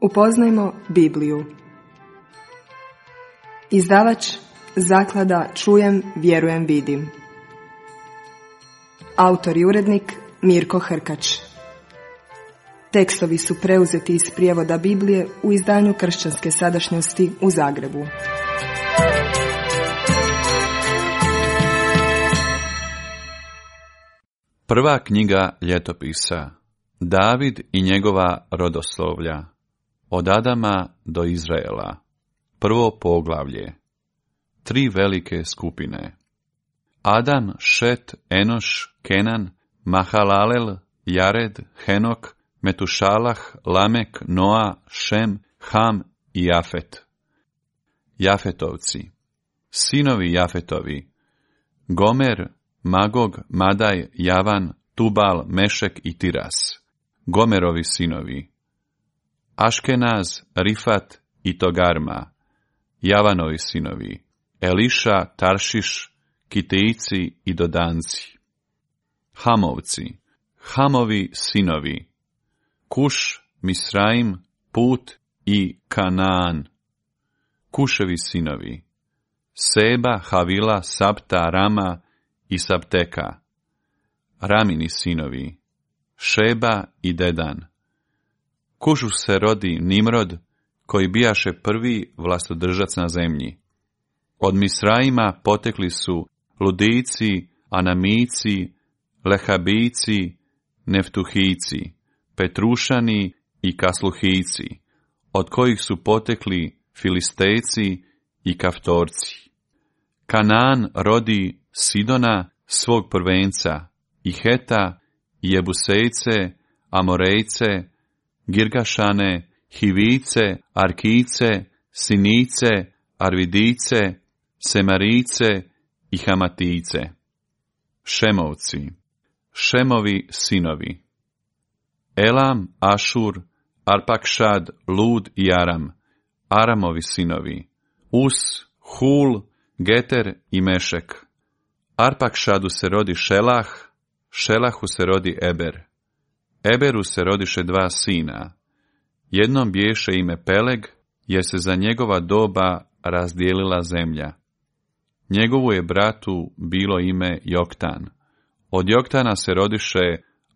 Upoznajmo Bibliju. Izdavač Zaklada Čujem, vjerujem, vidim. Autor i urednik Mirko Hrkač. Tekstovi su preuzeti iz prijevoda Biblije u izdanju Kršćanske sadašnjosti u Zagrebu. Prva knjiga ljetopisa. David i njegova rodoslovlja. Od Adama do Izraela. Prvo poglavlje. 3 velike skupine. Adam, Šet, Enoš, Kenan, Mahalalel, Jared, Henok, Metušalah, Lamek, Noa, Šem, Ham i Jafet. Jafetovci. Sinovi Jafetovi. Gomer, Magog, Madaj, Javan, Tubal, Mešek i Tiras. Gomerovi sinovi. Aškenaz, Rifat i Togarma. Javanovi sinovi. Eliša, Taršiš, Kitejci i Dodanci. Hamovci. Hamovi sinovi. Kuš, Misraim, Put i Kanaan. Kuševi sinovi. Seba, Havila, Sapta, Rama i Sapteka. Ramini sinovi. Šeba i Dedan. Kušu se rodi Nimrod, koji bijaše prvi vlastodržac na zemlji. Od Misraima potekli su Ludijci, Anamici, Lehabijci, Neftuhijci, Petrušani i Kasluhijci, od kojih su potekli Filistejci i Kaftorci. Kanaan rodi Sidona, svog prvenca, i Heta, i Jebusejce, Amorejce, Girgašane, Hivice, Arkice, Sinice, Arvidice, Semarice i Hamatice. Šemovci. Šemovi sinovi. Elam, Ašur, Arpakšad, Lud i Aram. Aramovi sinovi. Us, Hul, Geter i Mešek. Arpakšadu se rodi Šelah, Šelahu se rodi Eber. Eberu se rodiše 2 sina. Jednom biješe ime Peleg, jer se za njegova doba razdijelila zemlja. Njegovu je bratu bilo ime Joktan. Od Joktana se rodiše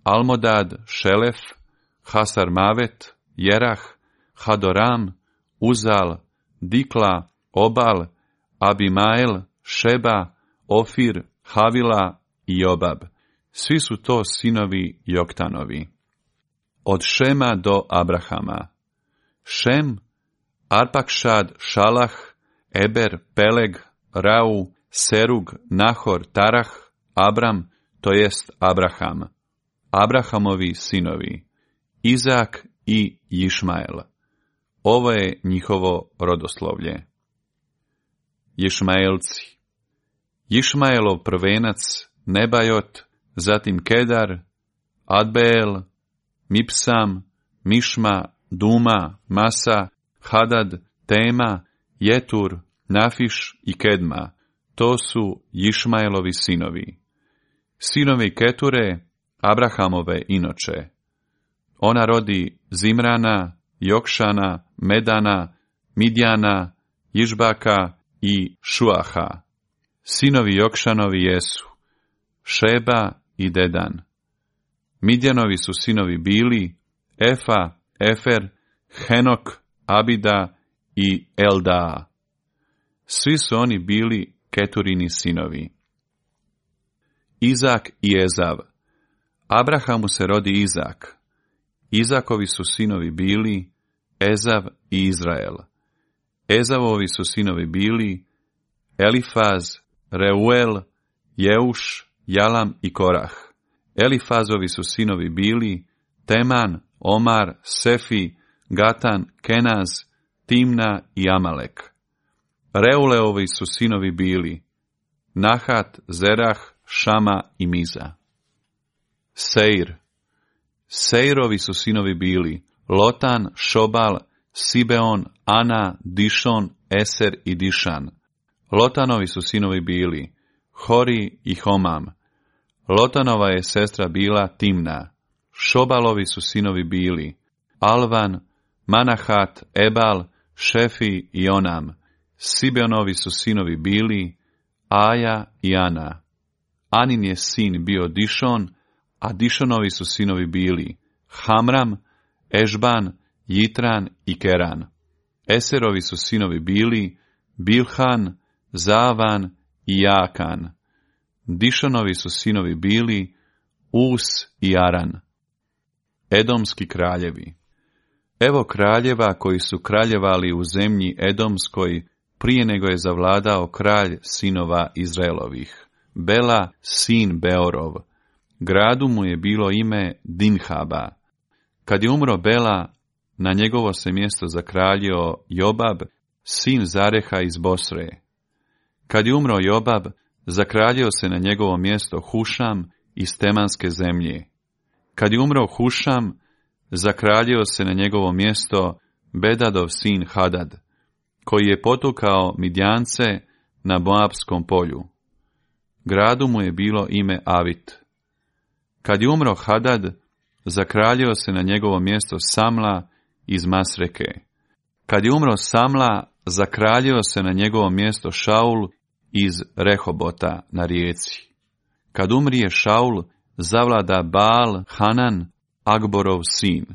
Almodad, Šelef, Hasarmavet, Jerah, Hadoram, Uzal, Dikla, Obal, Abimael, Šeba, Ofir, Havila i Jobab. Svi su to sinovi Joktanovi. Od Šema do Abrahama. Šem, Arpakšad, Šalah, Eber, Peleg, Rau, Serug, Nahor, Tarah, Abram, to jest Abraham. Abrahamovi sinovi. Izak i Išmael. Ovo je njihovo rodoslovlje. Išmaelci. Išmaelov prvenac Nebajot, zatim Kedar, Adbeel, Mipsam, Mišma, Duma, Masa, Hadad, Tema, Jetur, Nafiš i Kedma. To su Išmaelovi sinovi. Sinovi Keture, Abrahamove inoče. Ona rodi Zimrana, Jokšana, Medana, Midjana, Išbaka i Šuaha. Sinovi Jokšanovi jesu Šeba i Dedan. Midjanovi su sinovi bili Efa, Efer, Henok, Abida i Eldaa. Svi su oni bili Keturini sinovi. Izak i Ezav. Abrahamu se rodi Izak. Izakovi su sinovi bili Ezav i Izrael. Ezavovi su sinovi bili Elifaz, Reuel, Jeuš, Jalam i Korah. Elifazovi su sinovi bili Teman, Omar, Sefi, Gatan, Kenaz, Timna i Amalek. Reuleovi su sinovi bili Nahat, Zerah, Šama i Miza. Seir. Seirovi su sinovi bili Lotan, Šobal, Sibeon, Ana, Dišon, Eser i Dišan. Lotanovi su sinovi bili Hori i Homam. Lotanova je sestra bila Timna. Šobalovi su sinovi bili Alvan, Manahat, Ebal, Šefi i Onam. Sibeonovi su sinovi bili Aja i Ana. Anin je sin bio Dišon, a Dišonovi su sinovi bili Hamram, Ešban, Jitran i Keran. Eserovi su sinovi bili Bilhan, Zavan i Jakan. Dišonovi su sinovi bili Us i Aran. Edomski kraljevi. Evo kraljeva koji su kraljevali u zemlji Edomskoj prije nego je zavladao kralj sinova Izraelovih. Bela, sin Beorov. Gradu mu je bilo ime Dinhaba. Kad je umro Bela, na njegovo se mjesto zakraljio Jobab, sin Zareha iz Bosre. Kad je umro Jobab, zakraljio se na njegovo mjesto Hušam iz Temanske zemlje. Kad je umro Hušam, zakraljio se na njegovo mjesto Bedadov sin Hadad, koji je potukao Midjance na Moabskom polju. Gradu mu je bilo ime Avit. Kad je umro Hadad, zakraljio se na njegovo mjesto Samla iz Masreke. Kad je umro Samla, zakraljio se na njegovo mjesto Šaul iz Rehobota na rijeci. Kad umrije Šaul, zavlada Baal Hanan, Agborov sin.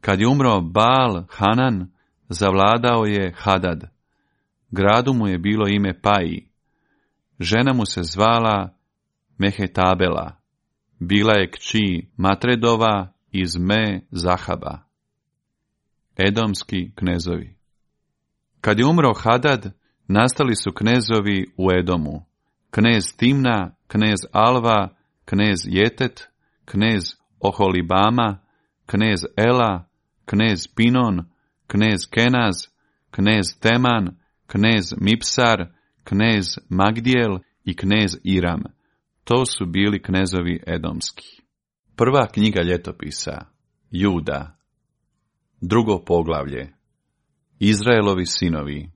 Kad je umro Baal Hanan, zavladao je Hadad. Gradu mu je bilo ime Paji. Žena mu se zvala Mehetabela. Bila je kći Matredova iz Me Zahaba. Edomski knezovi. Kad je umro Hadad, nastali su knezovi u Edomu. Knez Timna, knez Alva, knez Jetet, knez Oholibama, knez Ela, knez Pinon, knez Kenaz, knez Teman, knez Mipsar, knez Magdijel i knez Iram. To su bili knezovi edomski. Prva knjiga ljetopisa. Juda. Drugo poglavlje. Izraelovi sinovi.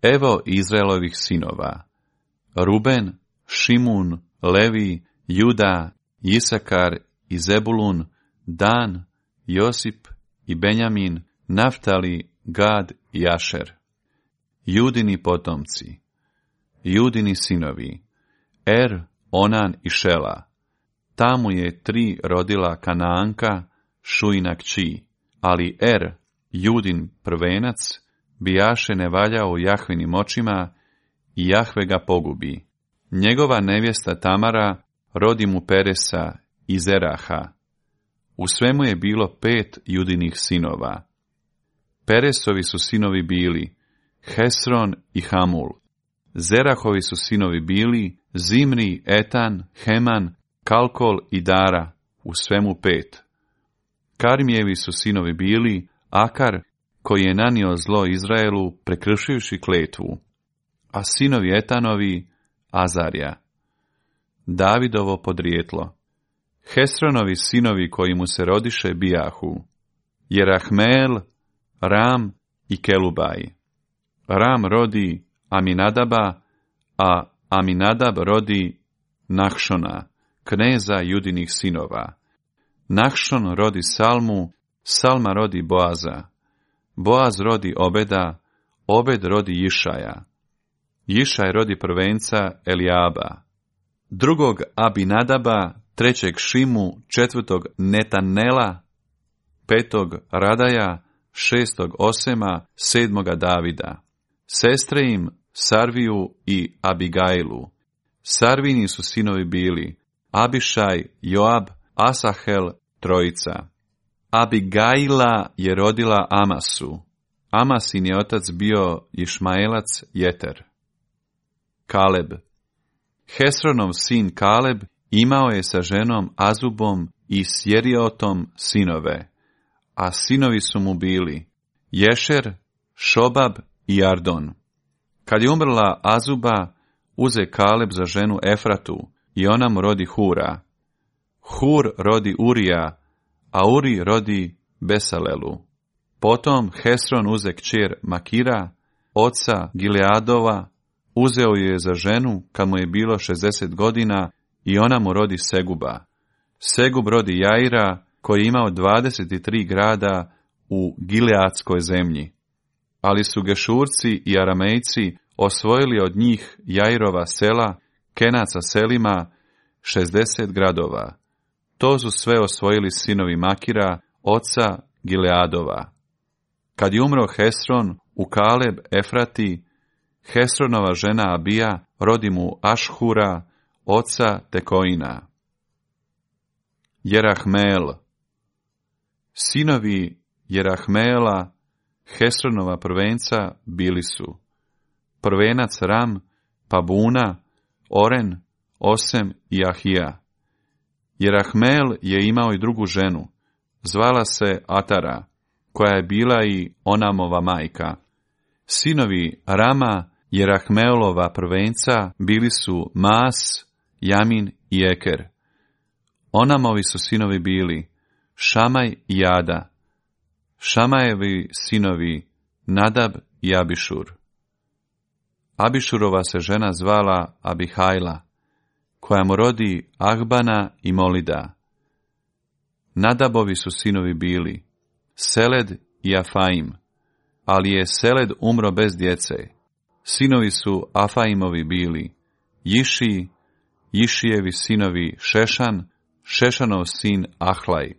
Evo Izraelovih sinova. Ruben, Šimun, Levi, Juda, Isakar i Zebulun, Dan, Josip i Benjamin, Naftali, Gad i Ašer. Judini potomci. Judini sinovi. Er, Onan i Šela. Tamo je 3 rodila Kanaanka, Šujina kći, ali Er, Judin prvenac, bijaše ne valjao u Jahvinim očima i Jahve ga pogubi. Njegova nevjesta Tamara rodi mu Peresa i Zeraha. U svemu je bilo 5 Judinih sinova. Peresovi su sinovi bili Hesron i Hamul. Zerahovi su sinovi bili Zimri, Etan, Heman, Kalkol i Dara, u svemu 5. Karmijevi su sinovi bili Akar, koji je nanio zlo Izraelu prekršivši kletvu, a sinovi Etanovi Azarja. Davidovo podrijetlo. Hesronovi sinovi koji mu se rodiše bijahu, Jerahmeel, Ram i Kelubaj. Ram rodi Aminadaba, a Aminadab rodi Nahšona, kneza Judinih sinova. Nahšon rodi Salmu, Salma rodi Boaza. Boaz rodi Obeda, Obed rodi Išaja. Išaj rodi prvenca Elijaba. Drugog Abinadaba, 3. Šimu, 4. Netanela, 5. Radaja, 6. Osema, 7. Davida. Sestre im Sarviju i Abigailu. Sarvini su sinovi bili Abišaj, Joab, Asahel, 3. Abigaila je rodila Amasu. Amasin je otac bio Išmaelac Jeter. Kaleb. Hesronov sin Kaleb imao je sa ženom Azubom i Sjeriotom sinove, a sinovi su mu bili Ješer, Šobab i Ardon. Kad je umrla Azuba, uze Kaleb za ženu Efratu i ona mu rodi Hura. Hur rodi Urija, a Uri rodi Besalelu. Potom Hesron uze kćer Makira, oca Gileadova, uzeo ju je za ženu kad mu je bilo 60 godina i ona mu rodi Seguba. Segub rodi Jaira, koji je imao 23 grada u Gileadskoj zemlji. Ali su Gešurci i Aramejci osvojili od njih Jairova sela, Kenaca selima, 60 gradova. To su sve osvojili sinovi Makira, oca Gileadova. Kad je umro Hesron u Kaleb Efrati, Hesronova žena Abija rodi mu Ašhura, oca Tekoina. Jerahmeel. Sinovi Jerahmeela, Hesronova prvenca, bili su prvenac Ram, pa Buna, Oren, Osem i Ahija. Jerahmeel je imao i drugu ženu, zvala se Atara, koja je bila i Onamova majka. Sinovi Rama, Jerahmeelova prvenca, bili su Maas, Jamin i Eker. Onamovi su sinovi bili Šamaj i Ada. Šamajevi sinovi Nadab i Abišur. Abišurova se žena zvala Abihajla, koja mu rodi Ahbana i Molida. Nadabovi su sinovi bili Seled i Afaim, ali je Seled umro bez djece. Sinovi su Afaimovi bili Jiši, Jišijevi sinovi Šešan, Šešanov sin Ahlaj.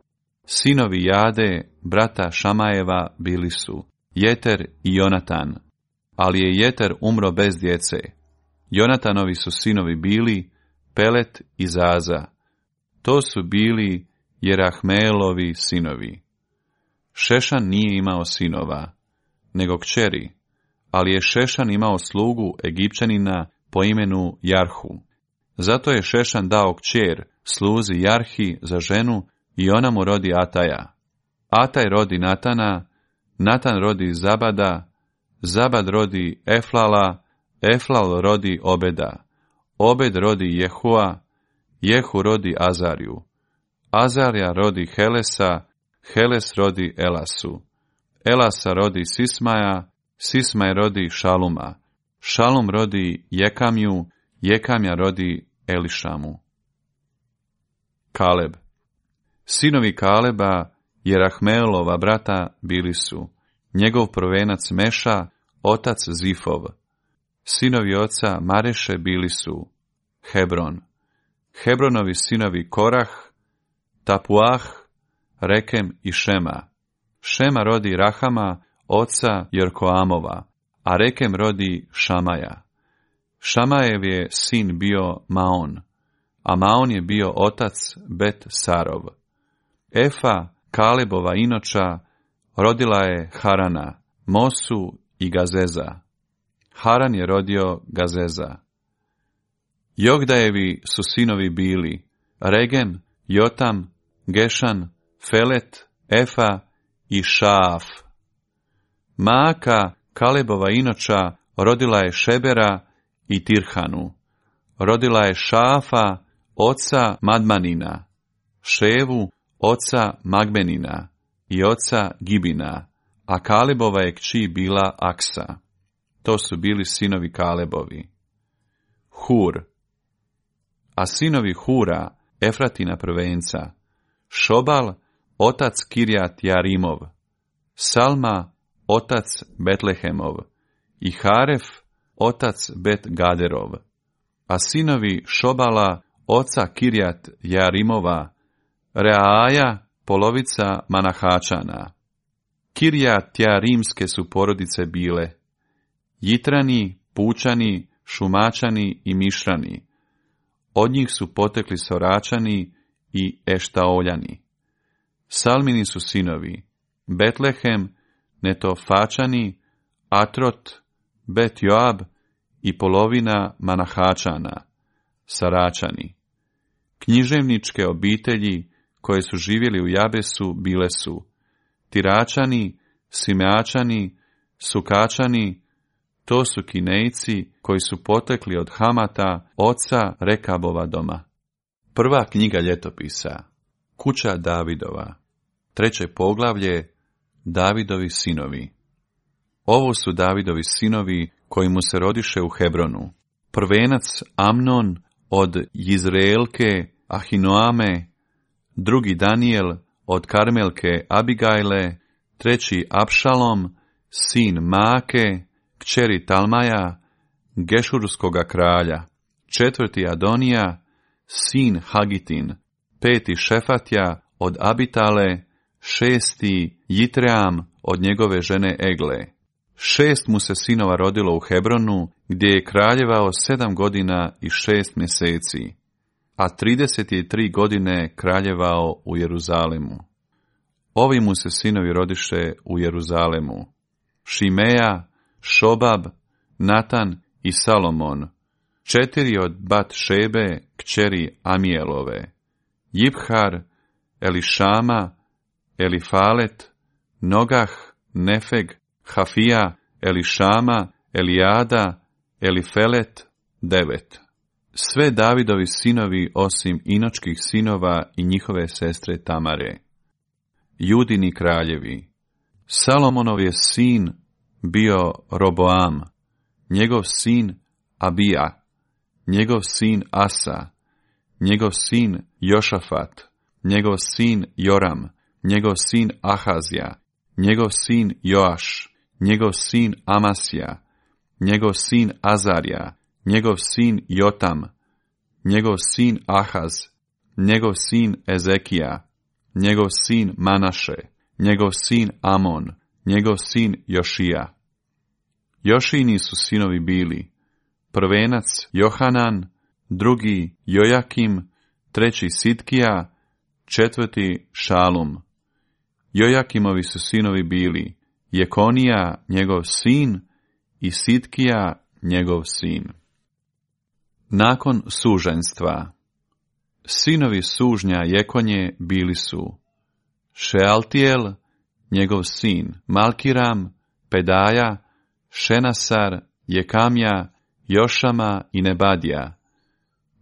Sinovi Jade, brata Šamajeva, bili su Jeter i Jonatan, ali je Jeter umro bez djece. Jonatanovi su sinovi bili Pelet i Zaza. To su bili Jerahmeelovi sinovi. Šešan nije imao sinova, nego kćeri, ali je Šešan imao slugu Egipćanina po imenu Jarhu. Zato je Šešan dao kćer sluzi Jarhi za ženu i ona mu rodi Ataja. Ataj rodi Natana, Natan rodi Zabada, Zabad rodi Eflala, Eflal rodi Obeda, Obed rodi Jehua, Jehu rodi Azariju, Azarija rodi Helesa, Heles rodi Elasu, Elasa rodi Sismaja, Sismaj rodi Šaluma, Šalum rodi Jekamju, Jekamja rodi Elišamu. Kaleb. Sinovi Kaleba, Jerahmeelova brata, bili su njegov prvenac Meša, otac Zifov. Sinovi oca Mareše bili su Hebron. Hebronovi sinovi Korah, Tapuah, Rekem i Šema. Šema rodi Rahama, oca Jorkoamova, a Rekem rodi Šamaja. Šamajev je sin bio Maon, a Maon je bio otac Bet Sarov. Efa, Kalebova inoča, rodila je Harana, Mosu i Gazeza. Haran je rodio Gazeza. Jogdajevi su sinovi bili Regem, Jotam, Gešan, Felet, Efa i Šaaf. Maaka, Kalebova inoča, rodila je Šebera i Tirhanu. Rodila je Šaafa, oca Madmanina, Ševu, oca Magbenina i oca Gibina, a Kalebova je kći bila Aksa. To su bili sinovi Kalebovi. Hur. A sinovi Hura, Efratina prvenca, Šobal, otac Kirjat Jarimov, Salma, otac Betlehemov i Haref, otac Bet Gaderov. A sinovi Šobala, oca Kirjat Jarimova, Reaja, polovica Manahačana. Kirjat Jarimske su porodice bile Jitrani, Pučani, Šumačani i Mišrani. Od njih su potekli Soračani i Eštaoljani. Salmini su sinovi Betlehem, Netofačani, Atrot, Bet Joab i polovina Manahačana, Saračani. Književničke obitelji koje su živjeli u Jabesu bile su Tiračani, Simeačani, Sukačani. To su Kinejci koji su potekli od Hamata, oca Rekabova doma. Prva knjiga ljetopisa. Kuća Davidova. 3. poglavlje. Davidovi sinovi. Ovo su Davidovi sinovi koji mu se rodiše u Hebronu. Prvenac Amnon od Jizreelke Ahinoame, drugi Daniel od Karmelke Abigajle, treći Apšalom, sin Maake, kćeri Talmaja, Gešurskoga kralja, četvrti Adonija, sin Hagitin, peti Šefatja od Abitale, šesti Jitream od njegove žene Egle. 6 mu se sinova rodilo u Hebronu, gdje je kraljevao 7 godina i 6 mjeseci, a 33 godine kraljevao u Jeruzalemu. Ovi mu se sinovi rodiše u Jeruzalemu: Šimeja, Šobab, Natan i Salomon, 4 od Bat Šebe, kćeri Amijelove, Jibhar, Elišama, Elifalet, Nogah, Nefeg, Hafija, Elišama, Elijada, Elifelet, 9. Sve Davidovi sinovi osim Inočkih sinova i njihove sestre Tamare. Judini kraljevi. Salomonov je sin bio Roboam, njegov sin Abija, njegov sin Asa, njegov sin Jošafat, njegov sin Joram, njegov sin Ahazija, njegov sin Joaš, njegov sin Amasija, njegov sin Azarija, njegov sin Jotam, njegov sin Ahaz, njegov sin Ezekija, njegov sin Manaše, njegov sin Amon, njegov sin Jošija. Jošini su sinovi bili: prvenac Johanan, drugi Jojakim, treći Sitkija, četvrti Šalum. Jojakimovi su sinovi bili: Jekonija, njegov sin, i Sitkija, njegov sin. Nakon suženstva. Sinovi sužnja Jekonje bili su: Šealtijel, njegov sin, Malkiram, Pedaja, Šenasar, Jekamja, Jošama i Nebadija.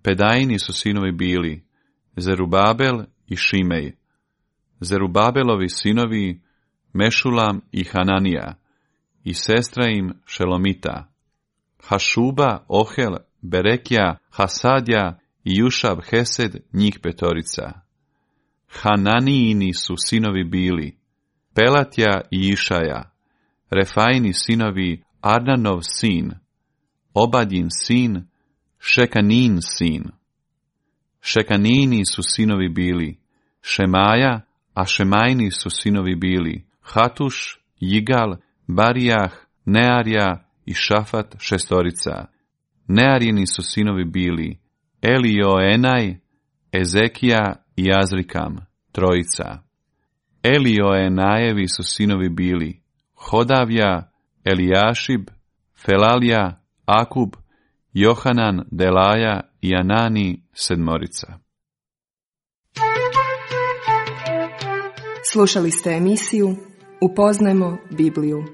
Pedajini su sinovi bili: Zerubabel i Šimej. Zerubabelovi sinovi Mešulam i Hananija, i sestra im Šelomita. Hašuba, Ohel, Berekja, Hasadja i Jušab Hesed, njih 5. Hananijini su sinovi bili: Pelatja i Išaja. Refajini sinovi Arnanov sin, Obadjin sin, Šekanin sin. Šekanini su sinovi bili: Šemaja, a Šemajni su sinovi bili: Hatuš, Jigal, Barijah, Nearja i Šafat, 6. Nearjini su sinovi bili: Elioenaj, Ezekija i Azrikam, 3. Elioenajevi su sinovi bili: Hodavja, Elijašib, Felalja, Akub, Johanan, Delaja i Anani, 7. Slušali ste emisiju Upoznajmo Bibliju.